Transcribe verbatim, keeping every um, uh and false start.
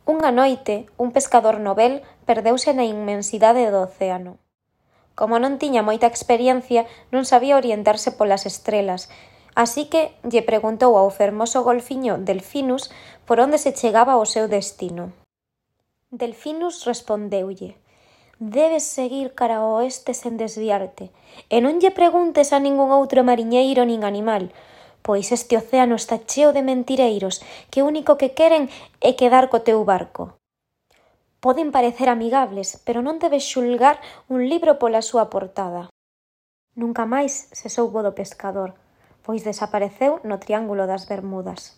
Unha noite, un pescador novel perdeuse na inmensidade do océano. Como non tiña moita experiencia, non sabía orientarse polas estrelas, así que lle preguntou ao fermoso golfiño Delfinus por onde se chegaba ao seu destino. Delfinus respondeulle: «Debes seguir cara ao oeste sen desviarte, e non lle preguntes a ningún outro mariñeiro nin animal, pois este océano está cheo de mentireiros que o único que queren é quedar co teu barco. Poden parecer amigables, pero non debes xulgar un libro pola súa portada». Nunca máis se soubo do pescador, pois desapareceu no Triángulo das Bermudas.